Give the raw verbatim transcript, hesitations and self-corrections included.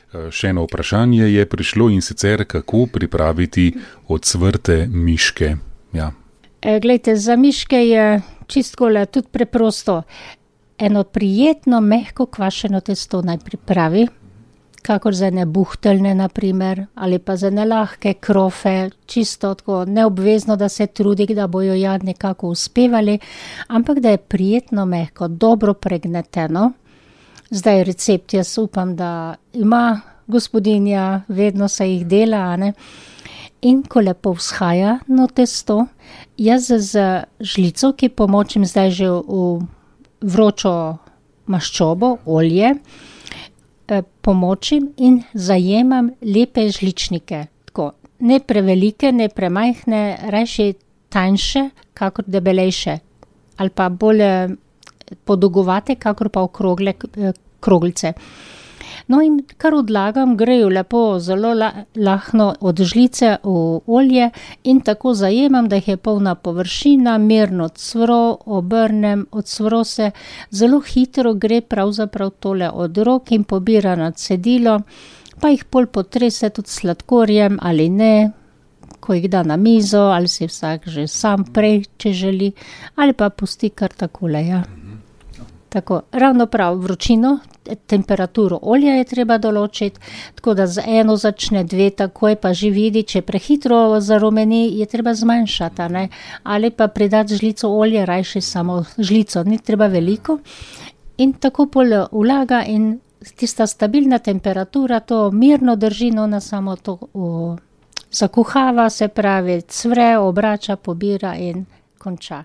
Še eno vprašanje je prišlo, in sicer kako pripraviti ocvrte miške. Ja. E, glejte, za miške je čisto tudi preprosto. Eno prijetno, mehko kvašeno testo naj pripravi, kakor za ene buhteljne, na primer, ali pa za ene lahke krofe, čisto tako neobvezno, da se trudi, da bojo ja nekako uspevali, ampak da je prijetno mehko, dobro pregneteno. Zdaj recept, jaz upam, da ima gospodinja, vedno se jih dela, a ne. In ko lepo vzhaja no testo, jaz z žlico, ki pomočim zdaj že v vročo maščobo, olje, pomočim in zajemam lepe žličnike. Tako, ne prevelike, ne premajhne, rajši tanjše, kakor debelejše. Ali pa bolj podolgovate, kakor pa okrogle kroglice. No, in kar odlagam, grejo lepo, zelo lahno od žlice v olje in tako zajemam, da jih je polna površina, mirno cvro, obrnem, odsvro se, zelo hitro gre pravzaprav tole od rok in pobira na cedilo, pa jih pol potrese tudi s sladkorjem ali ne, ko jih da na mizo, ali si vsak že sam prej, če želi, ali pa pusti kar takole, ja. Tako, ravno prav, vročino, temperaturo olja je treba določiti, tako da z eno začne, dve takoj, pa že vidi, če prehitro zarumeni, je treba zmanjšati, ne, ali pa pridati žlico olja, rajši samo žlico, ni treba veliko. In tako pol vlaga in tista stabilna temperatura to mirno drži, no, na samo to o, zakuhava, se pravi, cvre, obrača, pobira in konča.